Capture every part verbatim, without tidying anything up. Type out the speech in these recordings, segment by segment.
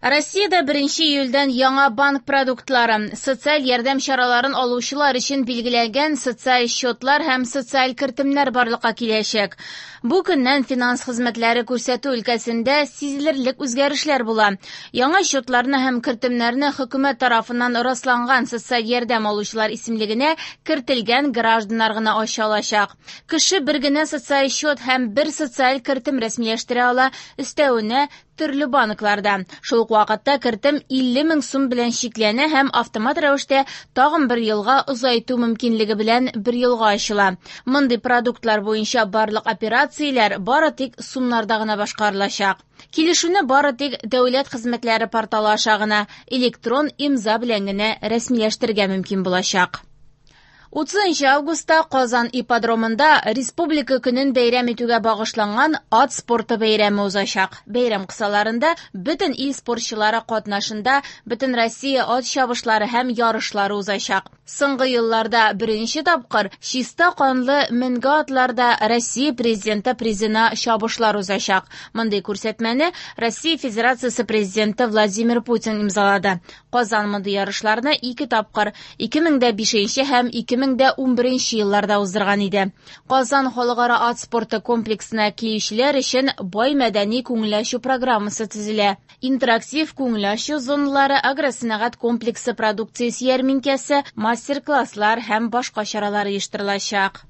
Россиядә беренче июльдән яңа банк продуктлары, социаль ярдәм чараларын алучылар өчен билгеләнгән социаль счетлар һәм социаль кертемнәр барлыкка киләчәк. Бу көннән финанс хезмәтләре күрсәтү өлкәсендә сизелерлек үзгәрешләр була. Яңа счетларны һәм кертемнәрне хөкүмәт тарафыннан расланган социаль ярдәм алучылар исемлегенә кертелгән гражданнар гына ача алачак. Кеше бер генә социаль счет һәм бер социаль кертем рәсмиләштерә ала, өстәвенә төрле банкларда. Шул ук вакытта кертем илле мең сум белән чикләнә һәм автомат рәвештә тагын бер елга озайту мөмкинлеге белән бер елга ачыла. Мондый продуктлар буенча барлык операцияләр бары тик сумнарда гына башкарылачак. Килешүне бары тик дәүләт хезмәтләре порталы аша гына электрон имза белән генә рәсмиләштерергә мөмкин булачак. Утызынчы августта Казан ипподромында Республика көнен бәйрәм итүгә багышланган ат спорты бәйрәме узачак. Бәйрәм кысаларында бөтен ил спортчылары катнашында бөтен Россия ат чабышлары һәм ярышлары узачак. Соңгы елларда беренче тапкыр чиста канлы менге атларда Россия президенты призына чабышлар узачак. Мондый күрсәтмәне Россия Федерациясе президенты Владимир Путин имзалады. Казан мондый ярышларны ике тапкыр ике мең дә бишенче һәм ике мең дә унберенче елларда уздырган иде. Казан халыкара ат спорты комплексына килүчеләр өчен бай мәдәни күңел ачу программасы төзелә. Интерактив күңел ачу зоналары, агросәнәгать комплексы продукциясе ярминкәсе, мастер-класслар һәм башка чаралар оештырылачак.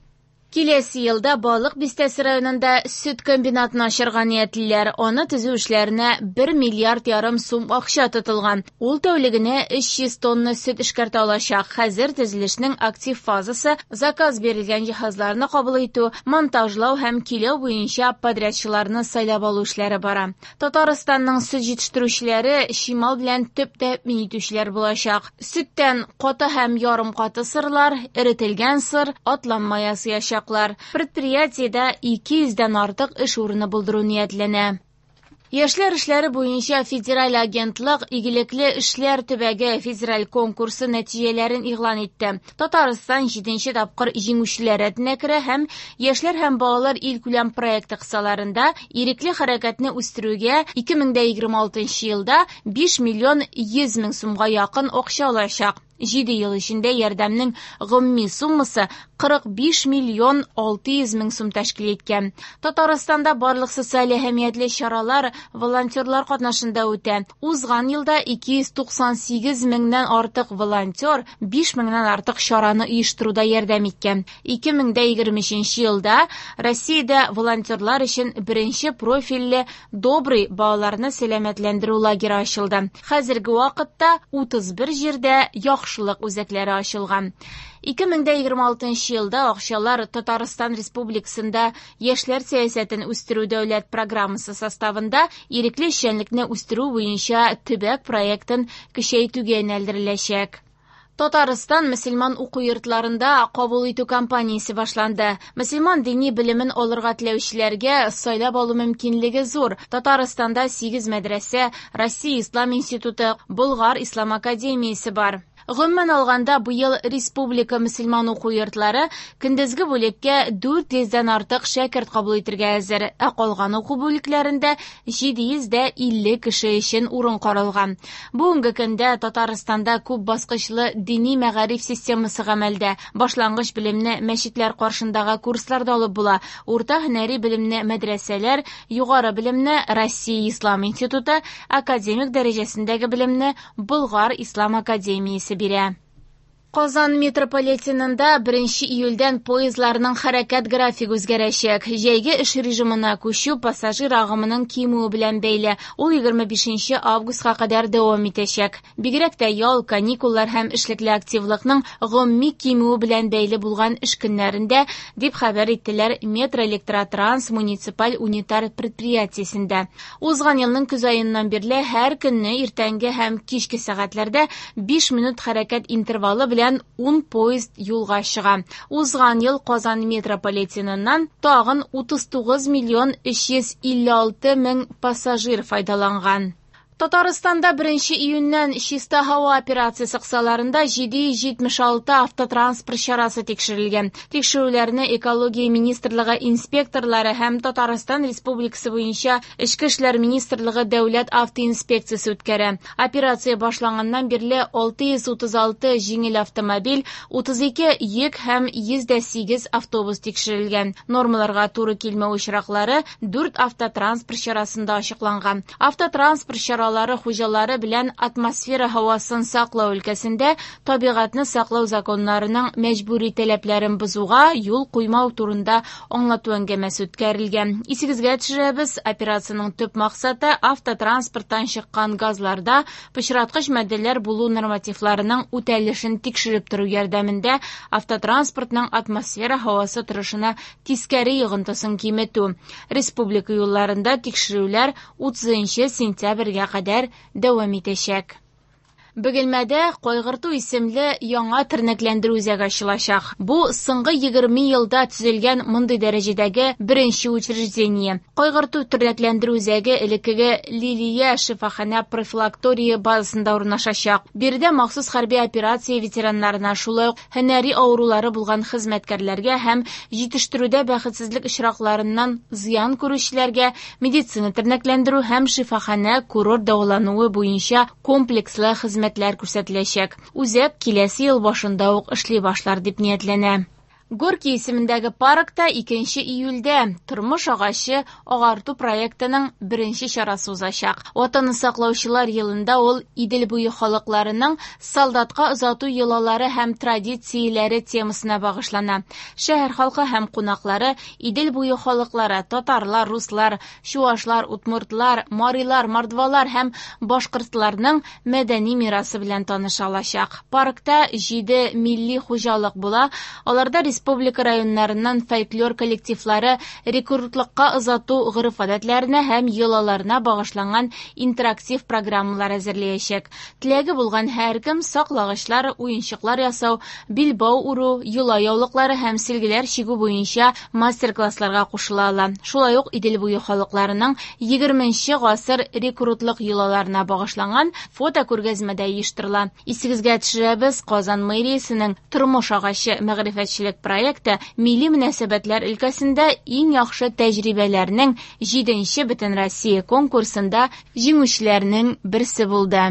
Киләсе елда Балык бистәсе районында сөт комбинатын ачарга ниятлиләр. Аны төзү эшләренә бер миллиард ярым сум акча тотылган. Ул тәүлегенә өч йөз тонна сөт эшкәртә алачак. Хәзер төзелешнең актив фазасы заказ бирелгән җиһазларны кабул итү, монтажлау һәм киләү буенча подрядчыларны сайлап алу эшләре бара. Татарстанның сөт җитештерүчеләре чимал белән төп тәэмин итүчеләр булачак. Сөттән каты һәм ярым каты сырлар, эретелгән сыр, атланма ясаячак. Предприятиедә ике йөздән артык эш урыны булдыру ниятләнә. Яшьләр эшләре буенча федераль агентлык Игелекле эшләр төбәге федераль конкурсы нәтиҗәләрен игълан итте. Татарстан җиденче тапкыр җиңүчеләр рәтенә керә һәм Яшьләр һәм балалар илкүләм проекты кысаларында ирекле хәрәкәтне үстерүгә ике мең дә егерме алтынчы елда биш миллион йөз мең сумга якын акча алачак. Җиде ел эчендә ярдәмнең гомуми суммасы кырык биш миллион алты йөз мең сум тәшкил иткән. Татарстанда барлык социаль әһәмиятле чаралар волонтерлар катнашында үтә. Узган елда ике йөз туксан сигез меңнән артык волонтер биш меңнән артык чараны оештыруда ярдәм иткән. Ике мең дә егерме өченче елда Россиядә волонтерлар өчен беренче профильле Добрый балаларны сәламәтләндерү лагере ачылды. Хәзерге вакытта утыз бер җирдә яхшылык үзәкләре ачылган. Ике мең дә егерме алтынчы елда акчалар Татарстан Республикасында яшьләр сәясәтен үстерү дәүләт программасы составында ирекле эшчәнлекне үстерү буенча төбәк проектын көчәйтүгә юнәлдереләчәк. Татарстан мөселман уку йортларында кабул итү кампаниясе башланды. Мөселман дини белемен алырга теләүчеләргә сайлап алу мөмкинлеге зур. Татарстанда сигез мәдрәсә, Россия Ислам институты, Болгар Ислам академиясе бар. Гомумән алганда, быел республика мөселман уку йортлары көндезге бүлеккә дүрт йөздән артык шәкерт кабул итәргә әзер, ә калган уку бүлекләрендә җиде йөз дә илле кеше өчен урын каралган. Бүгенге көндә Татарстанда күп баскычлы дини мәгариф системасы гамәлдә. Башлангыч белемне мәчетләр каршындагы курсларда алып була. Урта һөнәри белемне мәдрәсәләр, югары белемне Россия Ислам институты, академик дәрәҗәсендәге белемне Болгар Ислам академиясе бирә. Казан метрополитенында беренче июльдән поездларның хәрәкәт графигы үзгәрәчәк. Җәйге эш режимына күчү пассажир агымының кимүе белән бәйле. Ул егерме бишенче августка кадәр дәвам итәчәк. Бигрәк тә ял, каникуллар һәм эшлекле активлыкның гомуми кимүе белән бәйле булган эш көннәрендә, дип хәбәр иттеләр Метроэлектротранс муниципаль унитар предприятиесендә. Узган елның көз аеннан бирле һәр көнне иртәнге һәм кичке сәгатьләрдә биш минут хәрәкәт интервалы белән ун поезд юлга чыга. Узган ел Казан метрополитеныннан тагын утыз тугыз миллион өч йөз илле алты мең пассажир файдаланган. Татарстанда беренче июньнән «Чиста һава» операциясе кысаларында җиде йөз җитмеш алты автотранспорт чарасы тикшерелгән. Тикшерүләрне Экология министрлыгы инспекторлары һәм Татарстан Республикасы буенча Эчке эшләр министрлыгы дәүләт автоинспекциясе үткәрә. Операция башланганнан бирле алты йөз утыз алты җиңел автомобиль, утыз ике йөк һәм йөз дә сигез автобус тикшерелгән. Нормаларга туры килмәү очраклары дүрт автотранспорт чарасында ачыкланган. Автотранспорт чаралары хуҗалары белән атмосфера һавасын саклау өлкәсендә табигатьне саклау законнарының мәҗбүри таләпләрен бозуга юл куймау турында аңлату әңгәмәсе үткәрелгән. Исегезгә төшерәбез, операциянең төп максаты автотранспорттан чыккан газларда пычраткыч матдәләр булу нормативларының үтәлешен тикшереп тору ярдәмендә автотранспортның атмосфера һавасы торышына тискәре йогынтысын киметү. Республика юлларында тикшерүләр утызынчы сентябрьгә кадәр дәвам итәчәк. Бөгелмәдә Кайгырту исемле яңа тернәкләндерү үзәге ачылачак. Бу соңгы егерме елда төзелгән мондый дәрәҗәдәге беренче учреждение. Кайгырту тернәкләндерү үзәге элеккеге Лилия шифаханә профилактория базасында урнашачак. Биредә махсус хәрби операция ветераннарына, шулай ук һөнәри авырулары булган хезмәткәрләргә һәм җитештерүдә бәхетсезлек очракларыннан зыян күрүчеләргә медицина тернәкләндерү һәм шифаханә курорт дәвалануы буенча комплекслы хезмәт хезмәтләр күрсәтеләчәк. Үзәк киләсе ел башында ук эшли башлар дип ниятләнә. Горький исемендәге паркта икенче июльдә Тормыш агачы агарту проектының беренче чарасы узачак. Ватанны саклаучылар елында ул Идел буе халыкларының солдатка озату йолалары һәм традицияләре темасына багышлана. Шәһәр халкы һәм кунаклары Идел буе халыклары, татарлар, руслар, чуашлар, удмуртлар, марилар, мордвалар һәм башкортларның мәдәни мирасы белән таныша алачак. Паркта җиде милли хуҗалык була, аларда республика районнарыннан фольклор коллективлары рекрутлыкка озату гореф-гадәтләренә һәм йолаларына багышланган интерактив программалар әзерләячәк. Теләге булган һәркем саклагычлар, уенчыклар ясау, билбау үрү, йола яулыклары һәм силгеләр чигү буенча мастер-классларга кушыла ала. Шулай ук Идел буе халыкларының егерменче гасыр рекрутлык йолаларына багышланган фото күргәзмә дә оештырыла. Исегезгә төшерәбез, Казан мэриясенең Тормыш агачы мәгърифәтчелек проекты милли мөнәсәбәтләр өлкәсендә иң яхшы тәҗрибәләрнең җиденче Бөтенроссия конкурсында җиңүчеләрнең берсе булды.